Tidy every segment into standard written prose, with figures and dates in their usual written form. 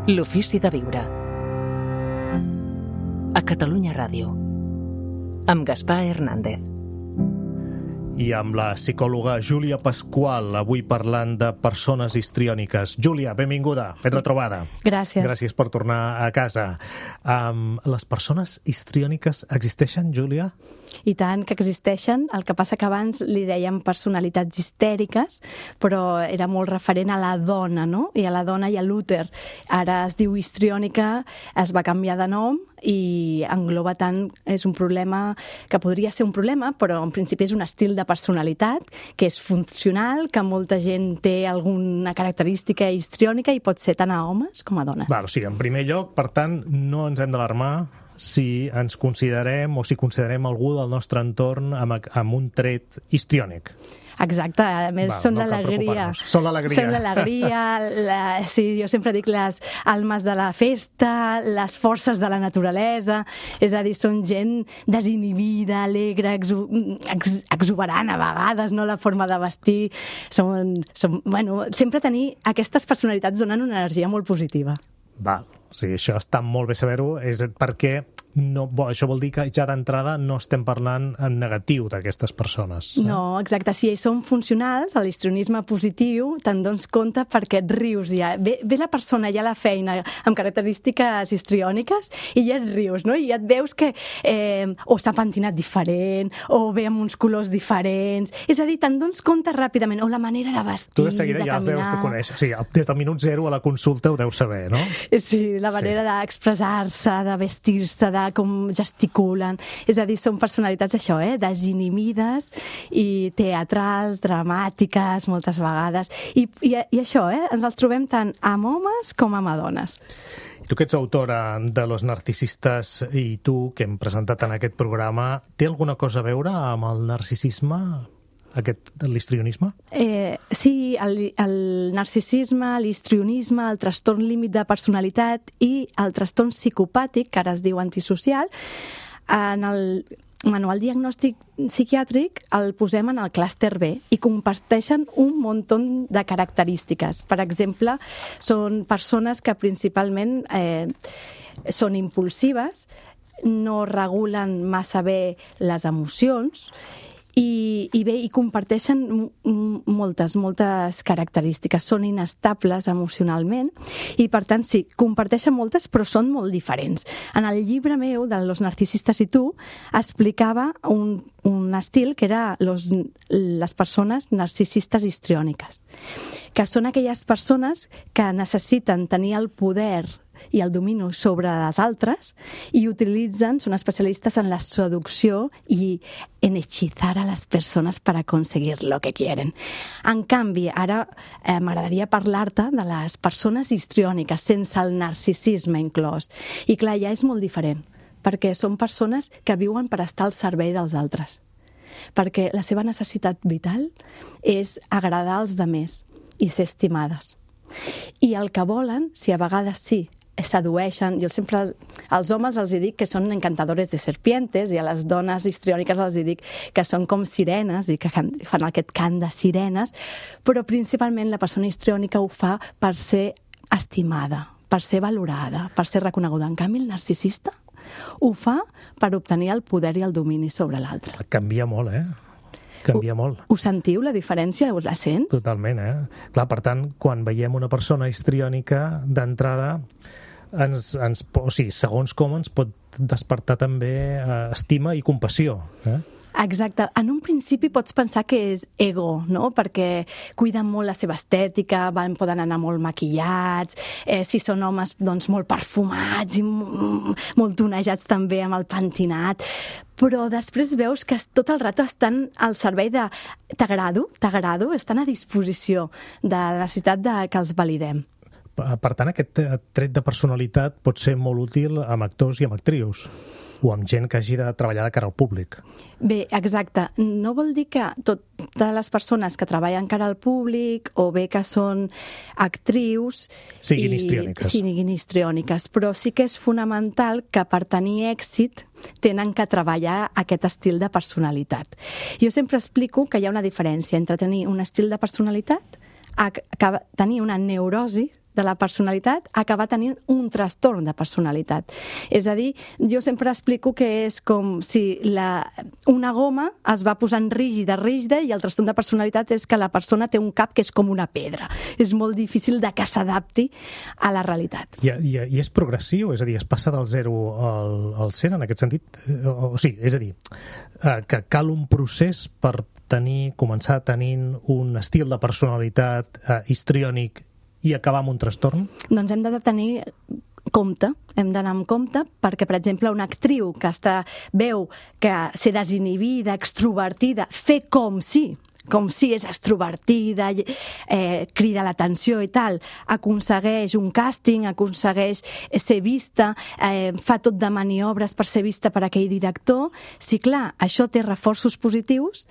L'ofici de viure. A Catalunya Ràdio. Amb Gaspar Hernández. I amb la psicòloga Júlia Pasqual, avui parlant de persones histriòniques. Júlia, benvinguda, ben retrobada. Gràcies. Gràcies per tornar a casa. Les persones histriòniques existeixen, Júlia? I tant que existeixen, el que passa que abans li dèiem personalitats histèriques, però era molt referent a la dona, no? I a la dona i a l'úter. Ara es diu histriònica, es va canviar de nom i engloba tant, és un problema que podria ser un problema, però en principi és un estil de personalitat que és funcional, que molta gent té alguna característica histriònica i pot ser tant a homes com a dones. Val, o sigui, en primer lloc, per tant, no ens hem d'alarmar si ens considerem o si considerem algú del nostre entorn amb un tret histriònic. Exacte, a més són l'alegria. Són l'alegria. Són l'alegria, sí, jo sempre dic les almes de la festa, les forces de la naturalesa, és a dir, són gent desinhibida, alegre, exuberant a vegades, no? La forma de vestir, bueno, sempre tenir aquestes personalitats donen una energia molt positiva. Val, sí, això està molt bé saber-ho, és perquè això vol dir que ja d'entrada no estem parlant en negatiu d'aquestes persones. No, exacte, si són funcionals, l'histrionisme positiu, te'n dones compte perquè et rius ja. Ve la persona ja a la feina amb característiques histriòniques i ja et rius, no? I ja et veus que o s'ha pentinat diferent, o ve amb uns colors diferents, és a dir, te'n dones compte ràpidament, o la manera de vestir, tu de seguida ja els deus de conèixer, o sigui, des del minut zero a la consulta ho deus saber, no? Sí, la manera d'expressar-se, de vestir-se, de com gesticulen. És a dir, són personalitats, això, desinhibides i teatrals, dramàtiques, moltes vegades. I això, ens els trobem tant amb homes com amb dones. Tu que ets autora de Los narcisistes i tu, que hem presentat en aquest programa, té alguna cosa a veure amb el narcisisme? L'histrionisme? Sí, el narcisisme, l'histrionisme, el trastorn límit de personalitat i el trastorn psicopàtic, que ara es diu antisocial, en el manual diagnòstic psiquiàtric el posem en el clúster B i comparteixen un munt de característiques. Per exemple, són persones que principalment són impulsives, no regulen massa bé les emocions, i comparteixen moltes característiques. Són inestables emocionalment i, per tant, sí, comparteixen moltes, però són molt diferents. En el llibre meu, de Los narcisistes i tu, explicava un estil que era les persones narcisistes histriòniques, que són aquelles persones que necessiten tenir el poder i el domini sobre les altres i són especialistes en la seducció i en hechizar a les persones per aconseguir lo que quieren. En canvi, ara m'agradaria parlar-te de les persones histriòniques sense el narcisisme inclòs. I clar, ja és molt diferent, perquè són persones que viuen per estar al servei dels altres, perquè la seva necessitat vital és agradar als demés i ser estimades. I el que volen, si a vegades sí, sedueixen, jo sempre als homes els dic que són encantadores de serpientes i a les dones histriòniques els dic que són com sirenes i que fan aquest cant de sirenes, però principalment la persona histriònica ho fa per ser estimada, per ser valorada, per ser reconeguda. En canvi, el narcisista ho fa per obtenir el poder i el domini sobre l'altre. Canvia molt, Canvia molt. Ho sentiu, la diferència? La sents? Totalment, Clar, per tant, quan veiem una persona histriònica, d'entrada, segons com ens pot despertar també estima i compassió, Exacte. En un principi pots pensar que és ego, no? Perquè cuiden molt la seva estètica, poden anar molt maquillats, si són homes, doncs molt perfumats i molt tonejats també amb el pentinat, però després veus que tot el rato estan al servei de t'agrado, estan a disposició de la necessitat que els validem. Per tant, aquest tret de personalitat pot ser molt útil amb actors i amb actrius, o amb gent que hagi de treballar de cara al públic. Bé, exacte. No vol dir que totes les persones que treballen cara al públic o bé que són actrius siguin histriòniques, però sí que és fonamental que per tenir èxit tenen que treballar aquest estil de personalitat. Jo sempre explico que hi ha una diferència entre tenir un estil de personalitat a tenir una neurosi de la personalitat a acabar tenint un trastorn de personalitat. És a dir, jo sempre explico que és com si una goma es va posant rígida i el trastorn de personalitat és que la persona té un cap que és com una pedra. És molt difícil de que s'adapti a la realitat. I és progressiu? És a dir, es passa del 0 al 100 en aquest sentit? O sigui, és a dir, que cal un procés per començar tenint un estil de personalitat histriònic i acabar amb un trastorn? Doncs hem de tenir compte, hem d'anar amb compte, perquè, per exemple, una actriu que veu que ser desinhibida, extrovertida, fer com si és extrovertida, crida l'atenció i tal, aconsegueix un càsting, aconsegueix ser vista, fa tot de maniobres per ser vista per aquell director. Si, clar, això té reforços positius,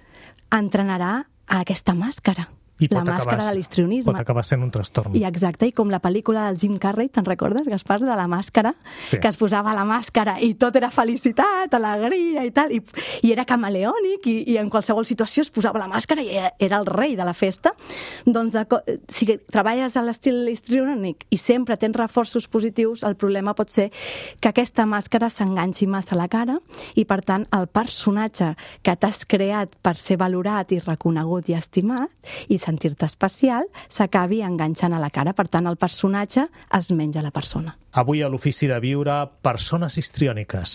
entrenarà a aquesta màscara. La màscara de l'histrionisme. Pot acabar sent un trastorn. I exacte, i com la pel·lícula del Jim Carrey, te'n recordes, Gaspar, de la màscara? Sí. Que es posava la màscara i tot era felicitat, alegria i tal, i era camaleònic, i en qualsevol situació es posava la màscara i era el rei de la festa. Doncs si treballes a l'estil histriònic i sempre tens reforços positius, el problema pot ser que aquesta màscara s'enganxi massa a la cara i, per tant, el personatge que t'has creat per ser valorat i reconegut i estimat i sentir-te especial, s'acabi enganxant a la cara. Per tant, el personatge es menja la persona. Avui a l'Ofici de Viure, persones histriòniques.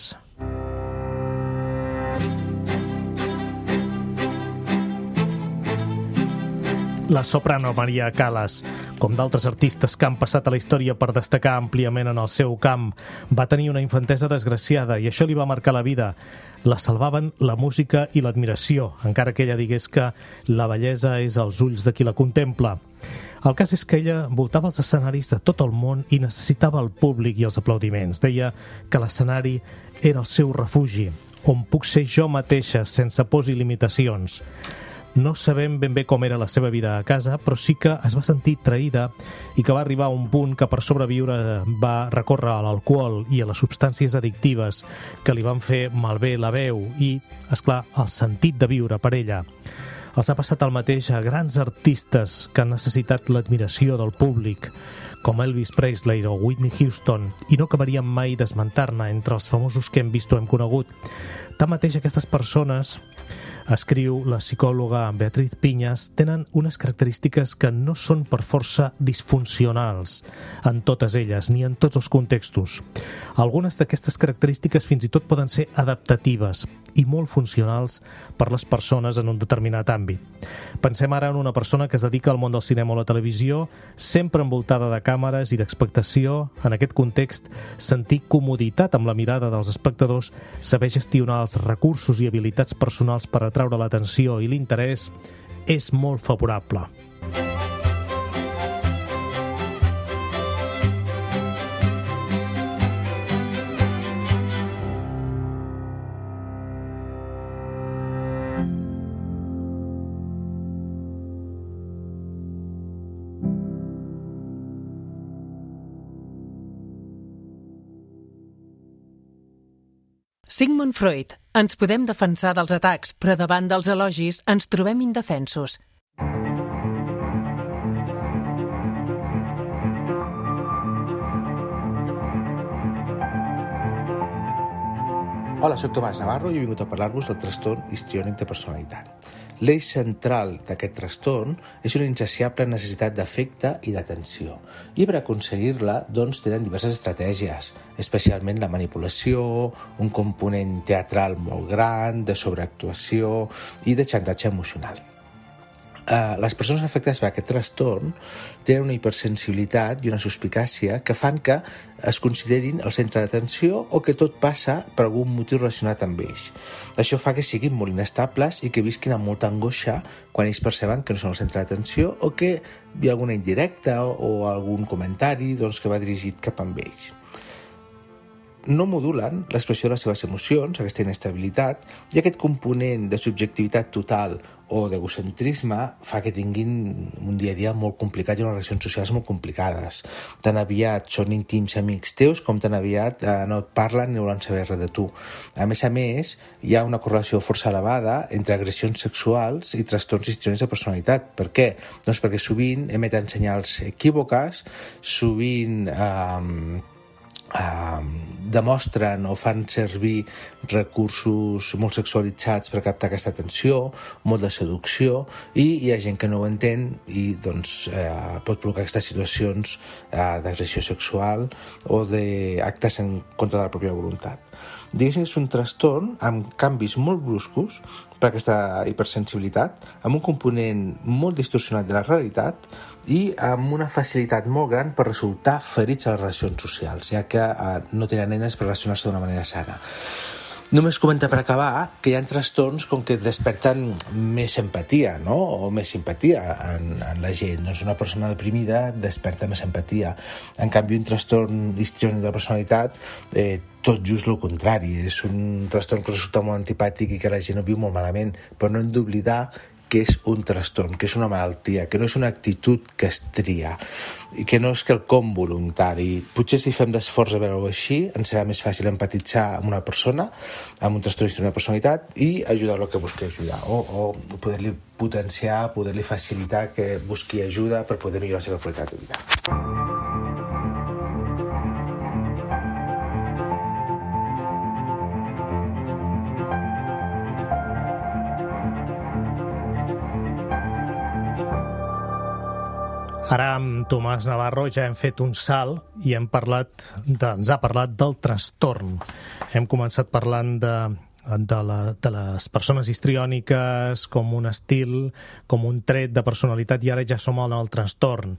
La soprano Maria Callas, com d'altres artistes que han passat a la història per destacar àmpliament en el seu camp, va tenir una infantesa desgraciada i això li va marcar la vida. La salvaven la música i l'admiració, encara que ella digués que la bellesa és als ulls de qui la contempla. El cas és que ella voltava els escenaris de tot el món i necessitava el públic i els aplaudiments. Deia que l'escenari era el seu refugi, on puc ser jo mateixa sense pors i limitacions. No sabem ben bé com era la seva vida a casa, però sí que es va sentir traïda i que va arribar a un punt que per sobreviure va recórrer a l'alcohol i a les substàncies addictives que li van fer malbé la veu i, esclar, el sentit de viure per ella. Els ha passat el mateix a grans artistes que han necessitat l'admiració del públic, com Elvis Presley o Whitney Houston, i no acabaríem mai d'esmentar-ne entre els famosos que hem vist o hem conegut. Tanmateix, aquestes persones, escriu la psicòloga Beatriz Piñas, tenen unes característiques que no són per força disfuncionals en totes elles, ni en tots els contextos. Algunes d'aquestes característiques fins i tot poden ser adaptatives i molt funcionals per les persones en un determinat àmbit. Pensem ara en una persona que es dedica al món del cinema o la televisió, sempre envoltada de càmeres i d'expectació. En aquest context, sentir comoditat amb la mirada dels espectadors, saber gestionar els recursos i habilitats personals per atraure l'atenció i l'interès és molt favorable. Sigmund Freud. Ens podem defensar dels atacs, però davant dels elogis ens trobem indefensos. Hola, soc Tomàs Navarro i he vingut a parlar-vos del trastorn histriònic de personalitat. L'eix central d'aquest trastorn és una insaciable necessitat d'afecte i d'atenció. I per aconseguir-la, doncs, tenen diverses estratègies, especialment la manipulació, un component teatral molt gran, de sobreactuació i de xantatge emocional. Les persones afectades per aquest trastorn tenen una hipersensibilitat i una suspicàcia que fan que es considerin el centre d'atenció o que tot passa per algun motiu relacionat amb ells. Això fa que siguin molt inestables i que visquin amb molta angoixa quan ells perceben que no són el centre d'atenció o que hi ha alguna indirecta o algun comentari que va dirigit cap a ells. no modulen l'expressió de les seves emocions, aquesta inestabilitat, i aquest component de subjectivitat total o d'egocentrisme fa que tinguin un dia a dia molt complicat i unes relacions socials molt complicades. Tan aviat són íntims amics teus com tan aviat no et parlen ni volen saber res de tu. A més, hi ha una correlació força elevada entre agressions sexuals i trastorns histriònics de personalitat. Per què? Doncs perquè sovint emeten senyals equívoques, sovint demostren o fan servir recursos molt sexualitzats per captar aquesta atenció, molt de seducció, i hi ha gent que no ho entén i doncs pot provocar aquestes situacions d'agressió sexual o d'actes en contra de la pròpia voluntat. Diguéssim que és un trastorn amb canvis molt bruscos per aquesta hipersensibilitat, amb un component molt distorsionat de la realitat i amb una facilitat molt gran per resultar ferits a les relacions socials, ja que no tenen eines per relacionar-se d'una manera sana. Només comentar per acabar que hi ha trastorns com que desperten més empatia, no? O més simpatia en la gent. Doncs una persona deprimida desperta més empatia. En canvi, un trastorn histriònic de la personalitat, tot just el contrari. És un trastorn que resulta molt antipàtic i que la gent ho viu molt malament. Però no hem d'oblidar que és un trastorn, que és una malaltia, que no és una actitud que es tria i que no és quelcom voluntari. Potser si fem l'esforç de veure-ho així, ens serà més fàcil empatitzar amb una persona, amb un trastorn histriònic de personalitat i ajudar-lo que busqui ajudar o poder-li potenciar, poder-li facilitar que busqui ajuda per poder millorar la seva qualitat de vida. Ara amb Tomàs Navarro ja hem fet un salt i ens ha parlat del trastorn. Hem començat parlant de les persones histriòniques com un estil, com un tret de personalitat, i ara ja som en el trastorn.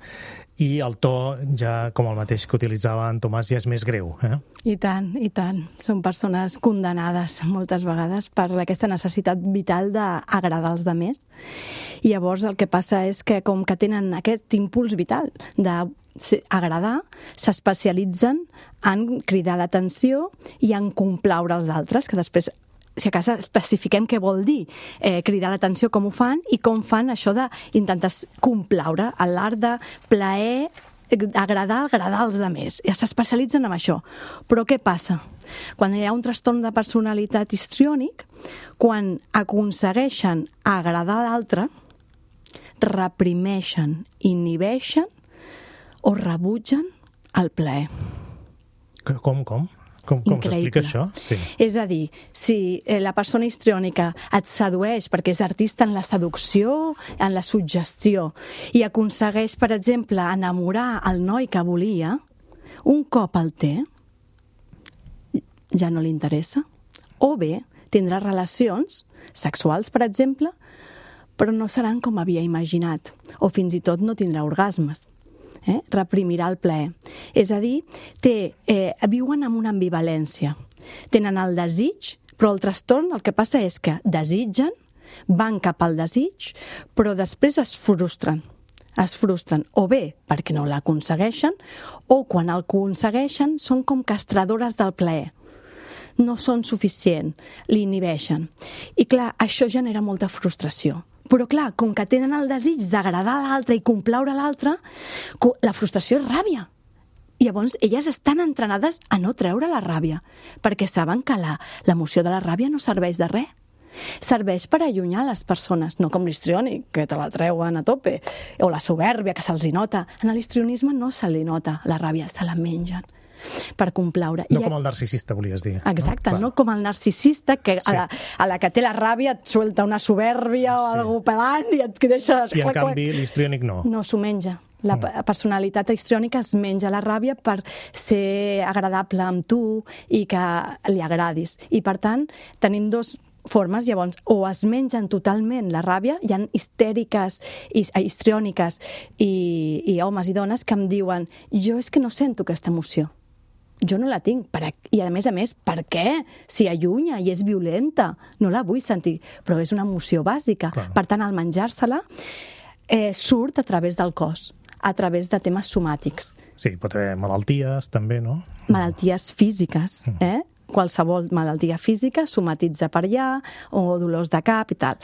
I el to, ja com el mateix que utilitzava en Tomàs, ja és més greu. I tant, i tant. Són persones condemnades moltes vegades per aquesta necessitat vital d'agradar als altres. I llavors el que passa és que com que tenen aquest impuls vital d'agradar, s'especialitzen en cridar l'atenció i en complaure els altres, que després, si a casa especifiquem què vol dir cridar l'atenció, com ho fan i com fan això d'intentar complaure a l'art de plaer, agradar als altres. Ja s'especialitzen en això. Però què passa? Quan hi ha un trastorn de personalitat histriònic, quan aconsegueixen agradar a l'altre, reprimeixen, inhibeixen o rebutgen el plaer. Com s'explica això? Sí. És a dir, si la persona histriònica et sedueix perquè és artista en la seducció, en la suggestió, i aconsegueix, per exemple, enamorar el noi que volia, un cop el té, ja no li interessa. O bé, tindrà relacions sexuals, per exemple, però no seran com havia imaginat, o fins i tot no tindrà orgasmes. Reprimirà el plaer. És a dir, viuen amb una ambivalència. Tenen el desig, però el trastorn el que passa és que desitgen, van cap al desig, però després es frustren. Es frustren o bé perquè no l'aconsegueixen, o quan el aconsegueixen són com castradores del plaer. No són suficient, l'inhibeixen. I clar, això genera molta frustració. Però clar, com que tenen el desig d'agradar a l'altre i complaure a l'altre, la frustració és ràbia. I llavors elles estan entrenades a no treure la ràbia, perquè saben que l'emoció de la ràbia no serveix de res. Serveix per allunyar les persones, no com l'histriònic, que te la treuen a tope, o la soberbia, que se'ls nota. En l'histrionisme no se li nota la ràbia, se la mengen per complaure. No com el narcisista, volies dir. Exacte, no com el narcisista que a la que té la ràbia et suelta una soberbia o algú pelant i et deixa... I en canvi l'histriònic no. No, s'ho menja. La personalitat histriònica es menja la ràbia per ser agradable amb tu i que li agradis. I per tant, tenim dos formes, llavors, o es mengen totalment la ràbia, hi ha histèriques, histriòniques i homes i dones que em diuen jo és que no sento aquesta emoció. Jo no la tinc. I a més, per què? Si allunya i és violenta, no la vull sentir. Però és una emoció bàsica. Clar. Per tant, al menjar-se-la, surt a través del cos, a través de temes somàtics. Sí, pot haver malalties, també, no? Malalties físiques, qualsevol malaltia física, somatitza per allà, o dolors de cap i tal.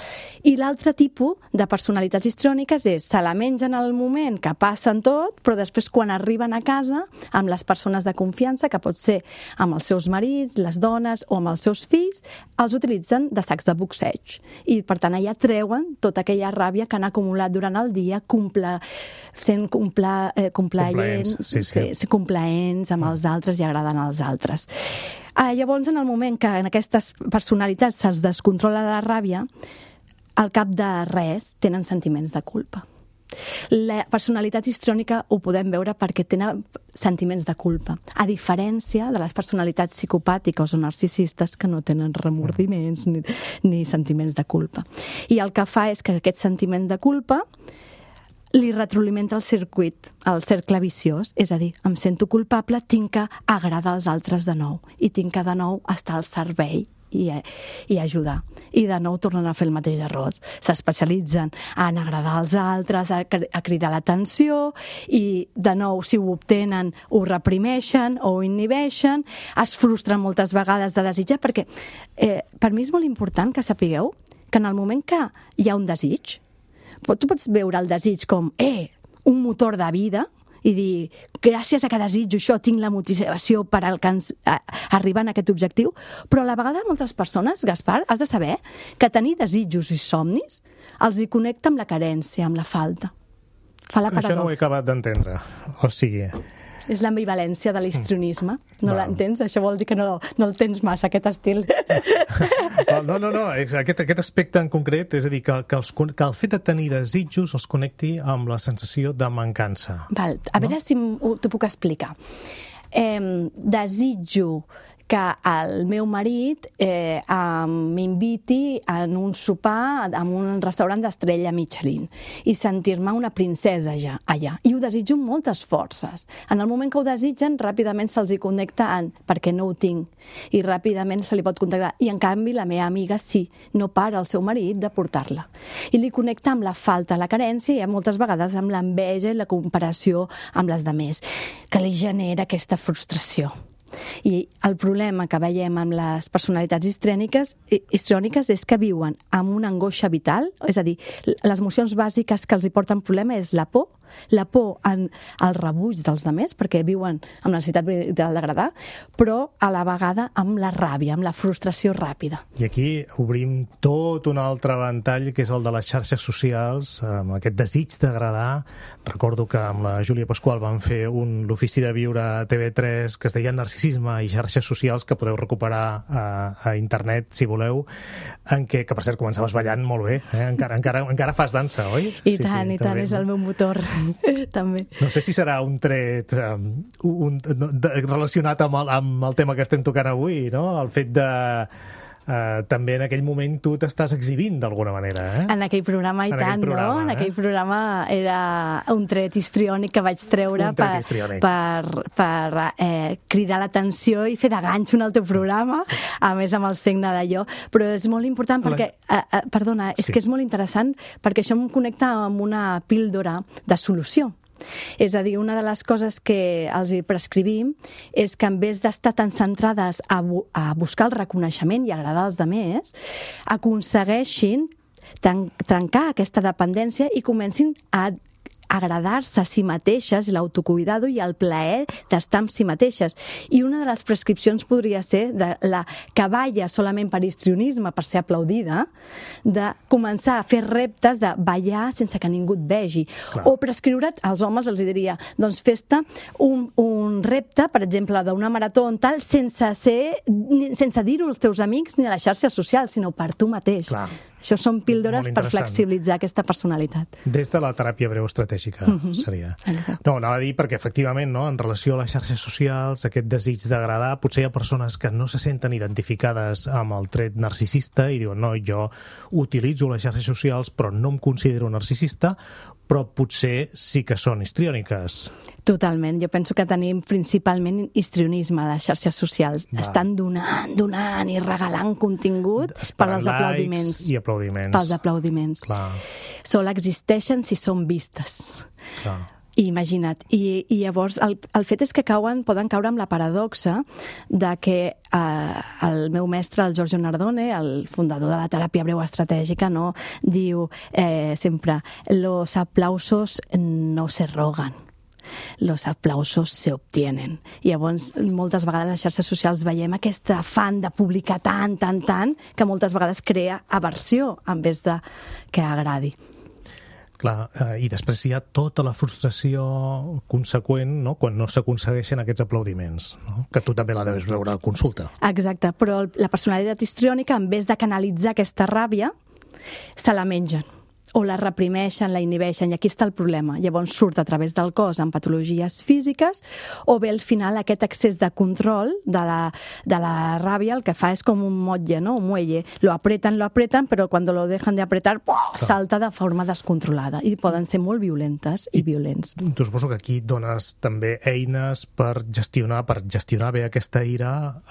I l'altre tipus de personalitats histriòniques és se la mengen al moment que passen tot, però després quan arriben a casa amb les persones de confiança, que pot ser amb els seus marits, les dones o amb els seus fills, els utilitzen de sacs de boxeig. I per tant allà treuen tota aquella ràbia que han acumulat durant el dia, sent complaents amb els altres i agradant als altres. Llavors, en el moment que en aquestes personalitats es descontrola la ràbia, al cap de res tenen sentiments de culpa. La personalitat histriònica ho podem veure perquè tenen sentiments de culpa, a diferència de les personalitats psicopàtiques o narcisistes que no tenen remordiments ni sentiments de culpa. I el que fa és que aquest sentiment de culpa li retroalimenta el circuit, el cercle viciós, és a dir, em sento culpable, tinc que agradar als altres de nou i tinc que de nou estar al servei i ajudar. I de nou tornen a fer el mateix error. S'especialitzen en agradar als altres, a cridar l'atenció i de nou, si ho obtenen, ho reprimeixen o ho inhibeixen, es frustren moltes vegades de desitjar, perquè per mi és molt important que sapigueu que en el moment que hi ha un desig, tu pots veure el desig com un motor de vida i dir, gràcies a que desitjo això tinc la motivació per arribar a aquest objectiu, però a la vegada moltes persones, Gaspar, has de saber que tenir desitjos i somnis els hi connecta amb la carència, amb la falta. Fa la paradoxa. Això no ho he acabat d'entendre. O sigui... És l'ambivalència de l'histrionisme. No l'entens? Això vol dir que no el tens massa, aquest estil. No. Aquest aspecte en concret, és a dir, que el fet de tenir desitjos els connecti amb la sensació de mancança. A veure si t'ho puc explicar. Desitjo que el meu marit m'inviti en un sopar en un restaurant d'estrella Michelin i sentir-me una princesa allà. I ho desitjo amb moltes forces. En el moment que ho desitgen, ràpidament se'ls hi connecta perquè no ho tinc. I ràpidament se li pot contactar. I en canvi la meva amiga sí, no para el seu marit de portar-la. I li connecta amb la falta, la carència i moltes vegades amb l'enveja i la comparació amb les demés, que li genera aquesta frustració. I el problema que veiem amb les personalitats histriòniques és que viuen amb una angoixa vital, és a dir, les emocions bàsiques que els hi porten problema és la por en el rebuig dels demés, perquè viuen amb la necessitat d'agradar, però a la vegada amb la ràbia, amb la frustració ràpida. I aquí obrim tot un altre ventall, que és el de les xarxes socials, amb aquest desig d'agradar. Recordo que amb la Júlia Pasqual van fer l'ofici de viure a TV3 que es deia Narcisisme i xarxes socials, que podeu recuperar a internet, si voleu, en què, que per cert començaves ballant molt bé, encara fas dansa, oi? I tant, és el meu motor. També. No sé si serà un tret relacionat amb el tema que estem tocant avui, no? El fet de... també en aquell moment tu t'estàs exhibint d'alguna manera, En aquell programa i tant, no? En aquell programa era un tret histriònic que vaig treure per cridar l'atenció i fer de ganxo en el teu programa, a més amb el signe d'allò. Però és molt important perquè... Perdona, és que és molt interessant perquè això em connecta amb una píldora de solució. És a dir, una de les coses que els hi prescrivim és que en vez d'estar tan centrades a buscar el reconeixement i agradar als demés, aconsegueixin trencar aquesta dependència i comencin a agradar-se a si mateixes, l'autocuidado i el plaer d'estar amb si mateixes. I una de les prescripcions podria ser de la que balla solament per histrionisme, per ser aplaudida, de començar a fer reptes de ballar sense que ningú et vegi. Clar. O prescriure't, als homes els diria, doncs fes-te un repte, per exemple, d'una marató en tal, sense dir-ho als teus amics ni a les xarxes socials, sinó per tu mateix. Clar. Això són píldores per flexibilitzar aquesta personalitat. Des de la teràpia breu estratègica, seria. Exacte. No, anava a dir perquè, efectivament, no, en relació a les xarxes socials, aquest desig d'agradar, potser hi ha persones que no se senten identificades amb el tret narcisista i diuen, no, jo utilitzo les xarxes socials però no em considero narcisista, però potser sí que són histriòniques. Totalment. Jo penso que tenim principalment histrionisme a les xarxes socials. Estan donant i regalant contingut per als aplaudiments. I aplaudiments. Pels aplaudiments. Clar. Sol existeixen si són vistes. Clar. Imagina't. I llavors el fet és que poden caure amb la paradoxa de que el meu mestre, el Giorgio Nardone, el fundador de la teràpia breu estratègica, no, diu sempre: los aplausos no se rogan, los aplausos se obtienen. I llavors, moltes vegades a les xarxes socials veiem aquest afany de publicar tant, que moltes vegades crea aversió en vez de que agradi. Clar, i després hi ha tota la frustració conseqüent, no?, quan no s'aconsegueixen aquests aplaudiments, no? Que tu també la deus veure a consulta. Exacte, però la personalitat histriònica, en vez de canalitzar aquesta ràbia, se la mengen, o la reprimeixen, la inhibeixen, i aquí està el problema. Llavors surt a través del cos en patologies físiques, o bé al final aquest excés de control de la ràbia el que fa és com un motlle, no? Un muelle. Lo apreten, però quan lo dejan de apretar, salta de forma descontrolada, i poden ser molt violentes i violents. Tu suposo que aquí dones també eines per gestionar bé aquesta ira,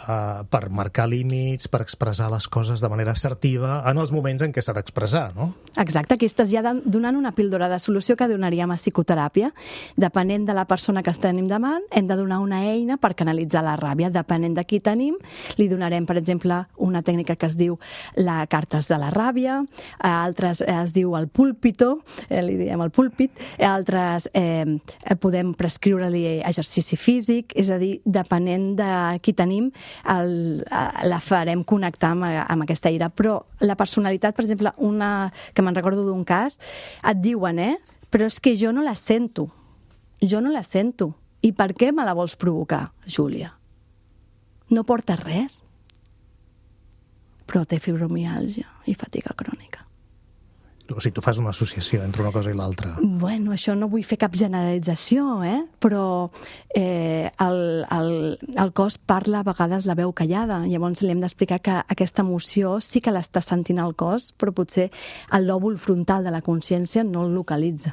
per marcar límits, per expressar les coses de manera assertiva en els moments en què s'ha d'expressar, no? Exacte, aquí estàs ja donant una píldora de solució que donaríem a psicoteràpia. Depenent de la persona que tenim davant, hem de donar una eina per canalitzar la ràbia. Depenent de qui tenim, li donarem, per exemple, una tècnica que es diu la cartes de la ràbia, a altres es diu el púlpito, li diem el púlpit, a altres podem prescriure-li exercici físic, és a dir, depenent de qui tenim, la farem connectar amb aquesta ira. Però la personalitat, per exemple, una que me'n recordo d'un cas, et diuen, però és que jo no la sento. Jo no la sento. I per què me la vols provocar, Júlia? No porta res. Però té fibromiàlgia i fatiga crònica. O sigui, tu fas una associació entre una cosa i l'altra. Bueno, això no vull fer cap generalització, però el cos parla a vegades la veu callada. Llavors li hem d'explicar que aquesta emoció sí que l'està sentint el cos, però potser el lòbul frontal de la consciència no el localitza.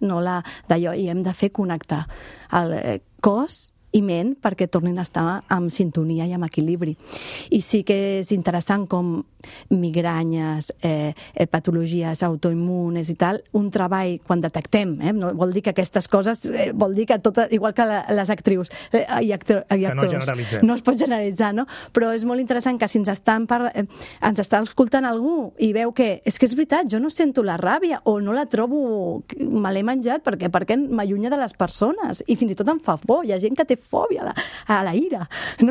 No d'allò, i hem de fer connectar el cos i ment perquè tornin a estar en sintonia i en equilibri. I sí que és interessant com migranyes, patologies autoimmunes i tal, un treball quan detectem, no vol dir que aquestes coses, vol dir que tot, igual que les actrius i actors, que no generalitzem. No es pot generalitzar, no? Però és molt interessant que si ens està escoltant algú i veu que és veritat, jo no sento la ràbia o no la trobo, me l'he menjat perquè m'allunya de les persones i fins i tot em fa por. Hi ha gent que té fòbia a la ira, no?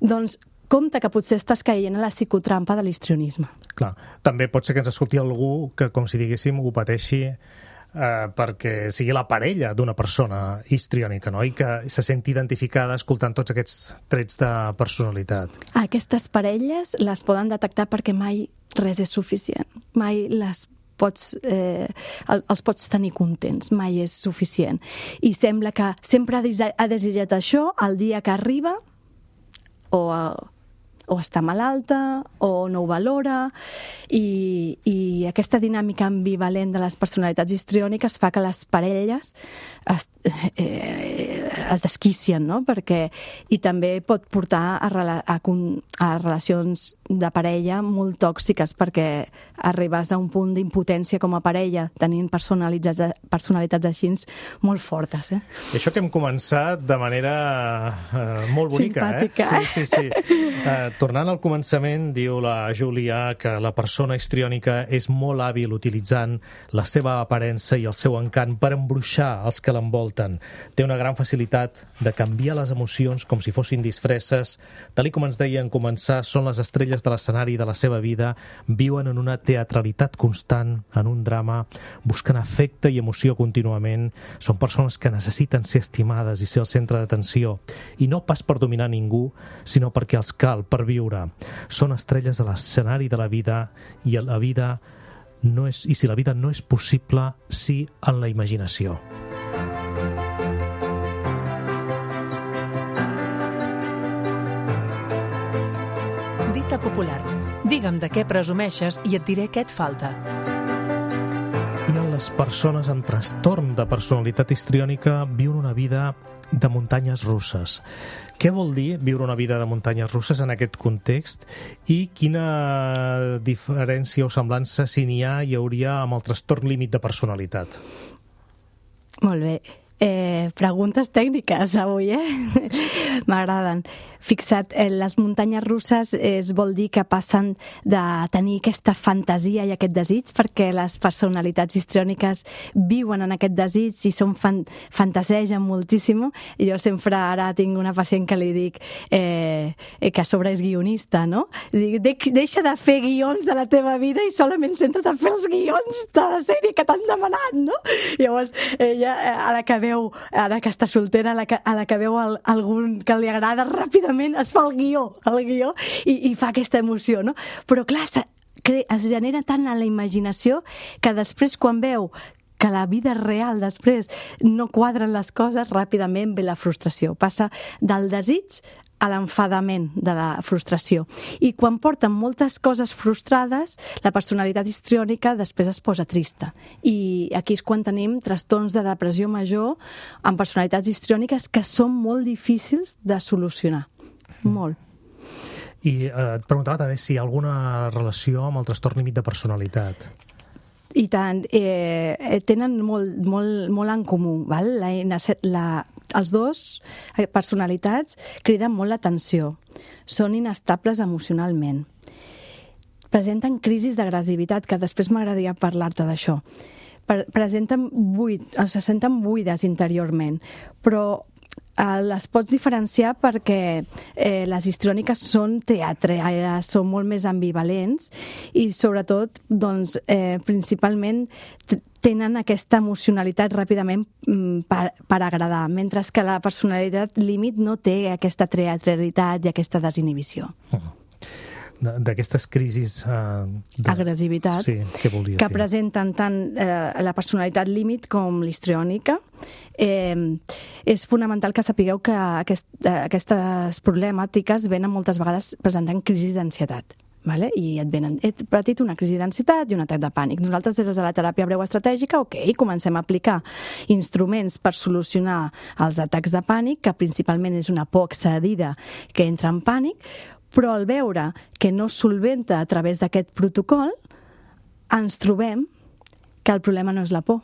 Doncs compte que potser estàs caient a la psicotrampa de l'histrionisme. Clar, també pot ser que ens escolti algú que, com si diguéssim, ho pateixi perquè sigui la parella d'una persona histriònica, no? I que se senti identificada escoltant tots aquests trets de personalitat. Aquestes parelles les poden detectar perquè mai res és suficient. Mai els pots tenir contents, mai és suficient. I sembla que sempre ha desitjat això el dia que arriba o està malalta o no ho valora, i aquesta dinàmica ambivalent de les personalitats histriòniques fa que les parelles es desquicien, no? I també pot portar a relacions de parella molt tòxiques, perquè arribes a un punt d'impotència com a parella tenint personalitats així molt fortes. I això que hem començat de manera molt bonica. Simpàtica. Sí. Tornant al començament, diu la Júlia que la persona histriònica és molt hàbil utilitzant la seva aparença i el seu encant per embruixar els que l'envolten. Té una gran facilitat de canviar les emocions com si fossin disfresses. Tal com ens deia en començar, són les estrelles de l'escenari de la seva vida, viuen en una teatralitat constant, en un drama, busquen afecte i emoció contínuament. Són persones que necessiten ser estimades i ser el centre d'atenció, i no pas per dominar ningú, sinó perquè els cal per viure. Són estrelles de l'escenari de la vida, i si la vida no és possible, sí en la imaginació. Dita popular. Digue'm de què presumeixes i et diré què et falta. I les persones amb trastorn de personalitat histriònica viuen una vida de muntanyes russes. Què vol dir viure una vida de muntanyes russes en aquest context, i quina diferència o semblança, si n'hi hauria amb el trastorn límit de personalitat? Molt bé. Preguntes tècniques avui, m'agraden. Fixa't, les muntanyes russes vol dir que passen de tenir aquesta fantasia i aquest desig, perquè les personalitats histriòniques viuen en aquest desig i fantasegen moltíssim. Jo sempre ara tinc una pacient que li dic que a sobre és guionista, no? Dic, deixa de fer guions de la teva vida i solament centra't a fer els guions de la sèrie que t'han demanat, no? Llavors, ella, a la que veu, ara que està soltera, a la que veu algun que li agrada, ràpidament es fa el guió i fa aquesta emoció, no? Però clar, es genera tant a la imaginació que després quan veu que la vida real després no quadren les coses, ràpidament ve la frustració. Passa del desig a l'enfadament de la frustració. I quan porten moltes coses frustrades, la personalitat histriònica després es posa trista. I aquí és quan tenim trastorns de depressió major amb personalitats histriòniques que són molt difícils de solucionar. Molt. I et preguntava també si hi ha alguna relació amb el trastorn límit de personalitat. I tant, tenen molt en comú, val? Els dos personalitats criden molt l'atenció, són inestables emocionalment, presenten crisis d'agressivitat, que després m'agradaria parlar-te d'això, presenten se senten buides interiorment, però les pots diferenciar perquè les histriòniques són teatrales, són molt més ambivalents i sobretot, doncs, principalment tenen aquesta emocionalitat ràpidament per agradar, mentre que la personalitat límit no té aquesta teatralitat i aquesta desinhibició. D'aquestes crisis agressivitat que presenten tant la personalitat límit com l'histriònica. És fonamental que sapigueu que aquestes problemàtiques venen moltes vegades presentant crisis d'ansietat. Vale? I et venen, he patit una crisi d'ansietat i un atac de pànic. Nosaltres, des de la teràpia breu estratègica, comencem a aplicar instruments per solucionar els atacs de pànic, que principalment és una por excedida que entra en pànic, però al veure que no solventa a través d'aquest protocol, ens trobem que el problema no és la por,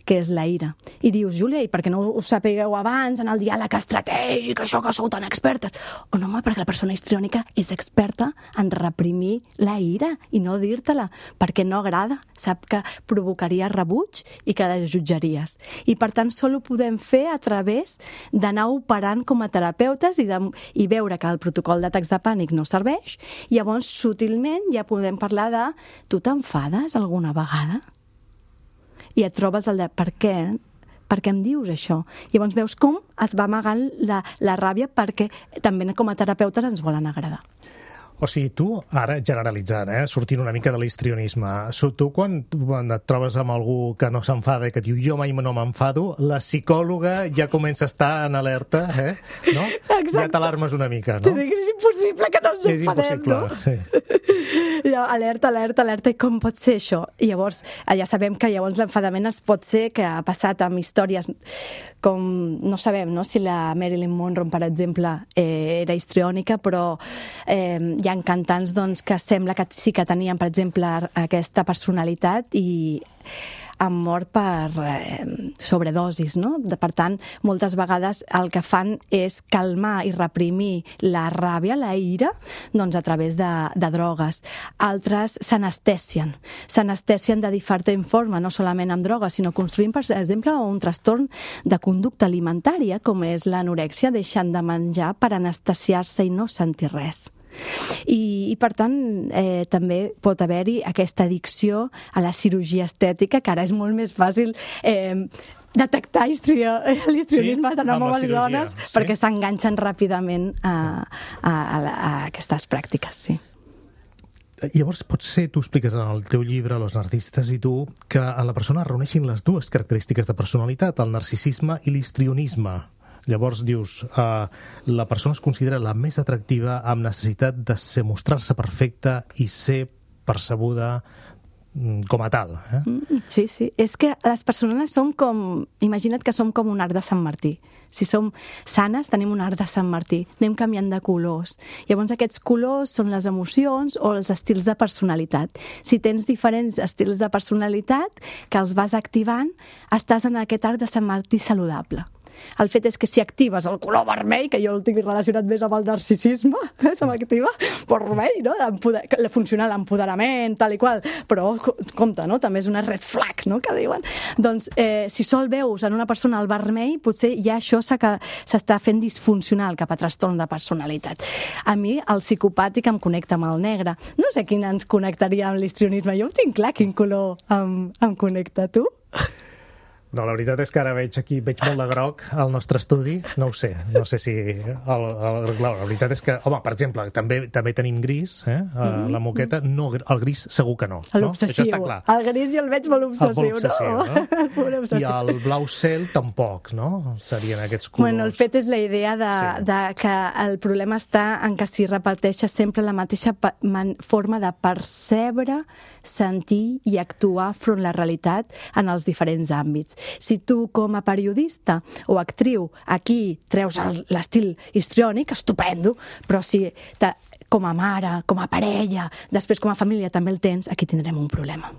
que és la ira. I dius, Júlia, i per què no ho sapigueu abans en el diàleg estratègic, això que sou tan expertes? O no, home, perquè la persona histriònica és experta en reprimir la ira i no dir-te-la, perquè no agrada, sap que provocaria rebuig i que la jutjaries. I per tant, sol ho podem fer a través d'anar operant com a terapeutes i veure que el protocol d'atacs de pànic no serveix, i llavors, sutilment, ja podem parlar de tu t'enfades alguna vegada? I et trobes el de per què em dius això? Llavors veus com es va amagant la ràbia perquè també com a terapeutes ens volen agradar. O sigui, tu, ara generalitzant, sortint una mica de l'histrionisme, tu quan et trobes amb algú que no s'enfada i que et diu jo mai no m'enfado, la psicòloga ja comença a estar en alerta, no? Exacte. Ja t'alarmes una mica, no? T'ho dic, és impossible que no ens enfadem, no? Sí. Alerta, i com pot ser això? I llavors, ja sabem que llavors l'enfadament es pot ser que ha passat amb històries com, no sabem, no?, si la Marilyn Monroe, per exemple, era histriònica, però hi ha cantants doncs, que sembla que sí que tenien, per exemple, aquesta personalitat i han mort per sobredosis, no? Per tant, moltes vegades el que fan és calmar i reprimir la ràbia, la ira, doncs a través de drogues. Altres s'anestesien de diferent forma, no solament amb drogues, sinó construint, per exemple, un trastorn de conducta alimentària, com és l'anorèxia, deixant de menjar per anestesiar-se i no sentir res. I per tant també pot haver-hi aquesta addicció a la cirurgia estètica, que ara és molt més fàcil detectar l'histrionisme de homes i dones, perquè s'enganxen ràpidament a aquestes pràctiques, sí. Llavors, potser tu expliques en el teu llibre, Los narcisistes i tu, que a la persona reuneixin les dues característiques de personalitat, el narcisisme i l'histrionisme. Llavors dius, la persona es considera la més atractiva amb necessitat de mostrar-se perfecta i ser percebuda com a tal. Sí, sí. És que les persones som com... Imagina't que som com un arc de Sant Martí. Si som sanes, tenim un arc de Sant Martí. Anem canviant de colors. Llavors, aquests colors són les emocions o els estils de personalitat. Si tens diferents estils de personalitat que els vas activant, estàs en aquest arc de Sant Martí saludable. El fet és que si actives el color vermell, que jo el tinc relacionat més amb el narcisisme, se m'activa vermell, no? Funciona l'empoderament, tal i qual, però compte, no? També és una red flag, no? Que diuen. Doncs si sol veus en una persona el vermell, potser ja això s'està fent disfuncional cap a trastorn de personalitat. A mi el psicopàtic em connecta amb el negre. No sé quin ens connectaria amb l'histrionisme. Jo ho tinc clar quin color em connecta. Tu? No, la veritat és que ara veig molt de groc al nostre estudi, no ho sé, no sé si... La veritat és que, home, per exemple, també tenim gris, la moqueta, no, el gris segur que no. L'obsessiu. Això està clar. El gris jo el veig molt obsessiu, no? I el blau cel tampoc, no? Serien aquests colors... Bueno, el fet és la idea de que el problema està en que si repeteixes sempre la mateixa forma de percebre, sentir i actuar front a la realitat en els diferents àmbits. Si tu, com a periodista o actriu, aquí treus l'estil histriònic, estupendo, però si com a mare, com a parella, després com a família també el tens, aquí tindrem un problema.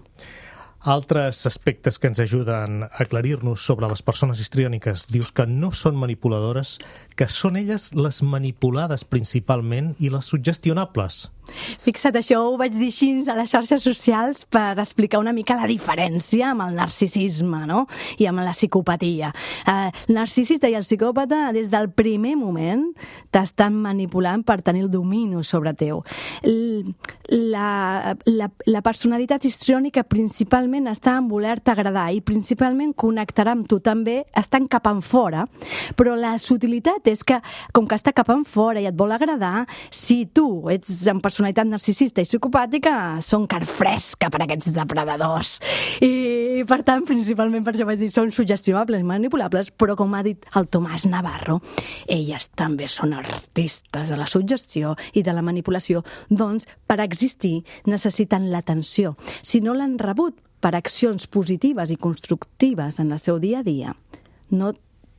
Altres aspectes que ens ajuden a aclarir-nos sobre les persones histriòniques, dius que no són manipuladores, que són elles les manipulades principalment i les suggestionables. Fixa't, això ho vaig dir així a les xarxes socials per explicar una mica la diferència amb el narcisisme, no? I amb la psicopatia. El narcisista i el psicòpata, des del primer moment, t'estan manipulant per tenir el domini sobre teu. La personalitat histriònica principalment està en voler-te agradar i principalment connectarà amb tu també, estan cap en fora, però la sutilitat és que, com que està cap en fora i et vol agradar, si tu ets en personalitat narcisista i psicopàtica, són carn fresca per a aquests depredadors. I, per tant, principalment per això vaig dir, són suggestionables i manipulables, però com ha dit el Tomàs Navarro, elles també són artistes de la suggestió i de la manipulació, doncs, per existir, necessiten l'atenció. Si no l'han rebut per accions positives i constructives en el seu dia a dia, no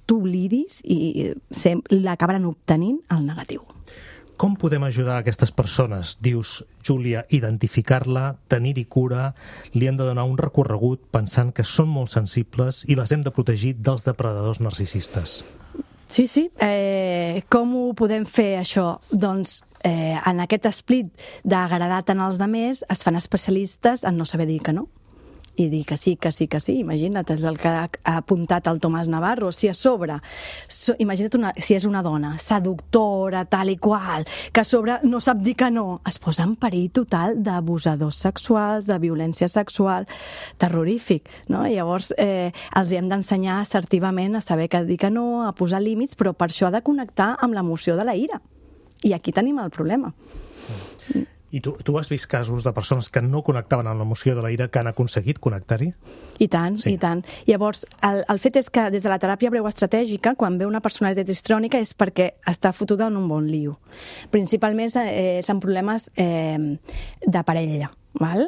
t'oblidis i l'acabaran obtenint el negatiu. Com podem ajudar aquestes persones? Dius, Júlia, identificar-la, tenir-hi cura, li hem de donar un recorregut pensant que són molt sensibles i les hem de protegir dels depredadors narcisistes. Sí, sí. Com ho podem fer, això? Doncs en aquest esplit d'agradar tant als demés es fan especialistes en no saber dir que no. I dir que sí, que sí, que sí. Imagina't, és el que ha apuntat el Tomàs Navarro. Si a sobre, imagina't si és una dona seductora, tal i qual, que a sobre no sap dir que no, es posa en perill total d'abusadors sexuals, de violència sexual, terrorífic, no? Llavors, els hem d'ensenyar assertivament a saber que dir que no, a posar límits, però per això ha de connectar amb l'emoció de la ira. I aquí tenim el problema. I tu has vist casos de persones que no connectaven amb l'emoció de la ira que han aconseguit connectar-hi? I tant, sí. I tant. Llavors, el fet és que des de la teràpia breu estratègica, quan ve una personalitat histriònica és perquè està fotuda en un bon lío. Principalment són problemes de parella, val?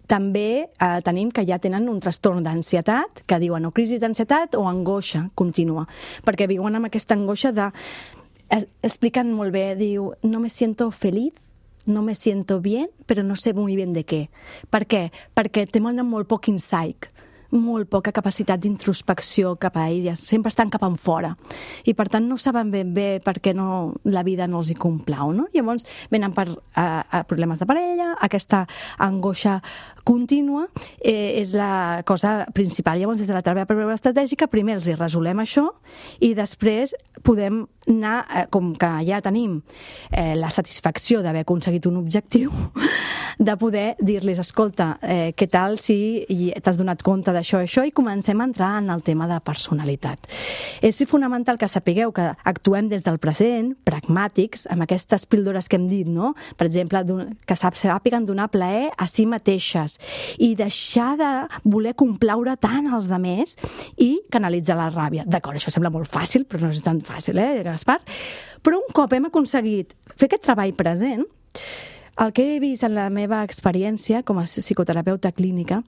També tenim que ja tenen un trastorn d'ansietat, que diuen o crisi d'ansietat o angoixa contínua, perquè viuen amb aquesta angoixa de... Expliquen molt bé, diu, no me siento feliz, no me siento bien, però no sé muy bien de què. Per què? Perquè tenen molt poc insight, molt poca capacitat d'introspecció cap a elles, sempre estan cap en fora i per tant no saben ben bé per què la vida no els hi complau, no? Llavors venen per problemes de parella, aquesta angoixa contínua és la cosa principal. Llavors des de la teràpia estratègica primer els hi resolem això i després podem anar, com que ja tenim la satisfacció d'haver aconseguit un objectiu, de poder dir-los, escolta, què tal si t'has donat compte d'això i això, i comencem a entrar en el tema de personalitat. És fonamental que sapigueu que actuem des del present, pragmàtics, amb aquestes píldores que hem dit, no? Per exemple, que sàpiguen donar plaer a si mateixes i deixar de voler complaure tant als demés i canalitzar la ràbia. D'acord, això sembla molt fàcil, però no és tan fàcil, Gaspar? Però un cop hem aconseguit fer aquest treball present, el que he vist en la meva experiència com a psicoterapeuta clínica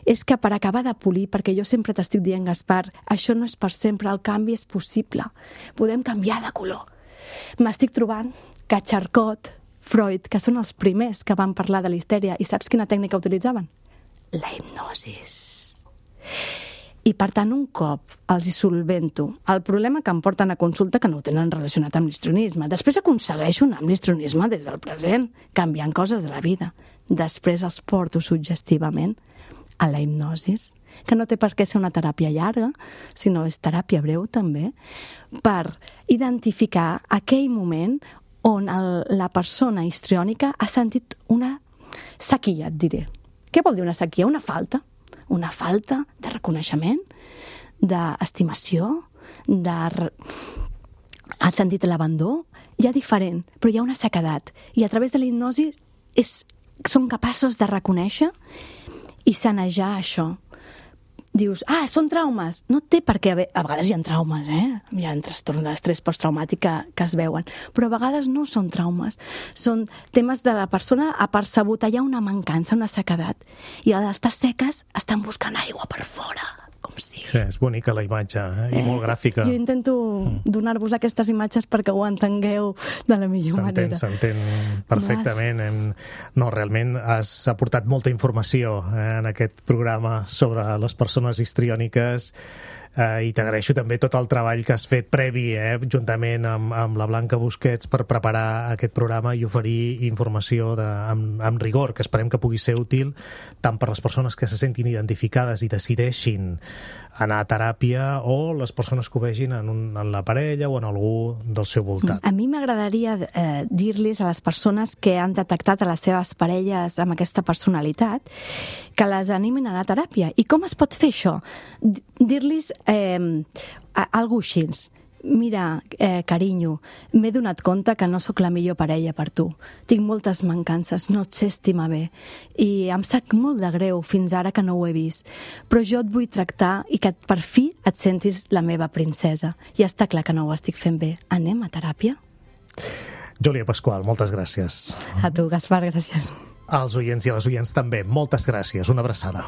és que per acabar de polir, perquè jo sempre t'estic dient, Gaspar, això no és per sempre, el canvi és possible. Podem canviar de color. M'estic trobant que Charcot, Freud, que són els primers que van parlar de la histèria, i saps quina tècnica utilitzaven? La hipnosis. I, per tant, un cop els hi solvento el problema que em porten a consulta, que no ho tenen relacionat amb l'histrionisme. Després aconsegueixo anar amb l'histrionisme des del present, canviant coses de la vida. Després els porto suggestivament a la hipnosis, que no té per què ser una teràpia llarga, sinó és teràpia breu també, per identificar aquell moment on la persona histriònica ha sentit una sequia, et diré. Què vol dir una sequia? Una falta de reconeixement, d'estimació, ha sentit l'abandó, hi ha diferent, però hi ha una sequedat. I a través de la hipnosi són capaços de reconèixer i sanejar això. Dius, són traumes. No té per què haver... A vegades hi ha traumes, Hi ha trastorn d'estrès posttraumàtic que es veuen, però a vegades no són traumes. Són temes de la persona ha percebut allà una mancança, una sequedat. I a l'estar seques estan buscant aigua per fora, com sigui. Sí, és bonica la imatge, i molt gràfica. Jo intento donar-vos aquestes imatges perquè ho entengueu de la millor manera. S'entén perfectament. No, realment has aportat molta informació en aquest programa sobre les persones histriòniques, i t'agraeixo també tot el treball que has fet previ, juntament amb la Blanca Busquets, per preparar aquest programa i oferir informació amb rigor, que esperem que pugui ser útil tant per les persones que se sentin identificades i decideixin anar a teràpia, o les persones que ho vegin en la parella o en algú del seu voltant. A mi m'agradaria dir-los a les persones que han detectat a les seves parelles amb aquesta personalitat que les animin a la teràpia. I com es pot fer això? Dir-los algú així: mira, carinyo, m'he donat compte que no sóc la millor parella per tu. Tinc moltes mancances, no et sé estimar bé. I em sap molt de greu fins ara que no ho he vist. Però jo et vull tractar i que per fi et sentis la meva princesa. I està clar que no ho estic fent bé. Anem a teràpia? Júlia Pasqual, moltes gràcies. A tu, Gaspar, gràcies. Als oients i a les oients també, moltes gràcies. Una abraçada.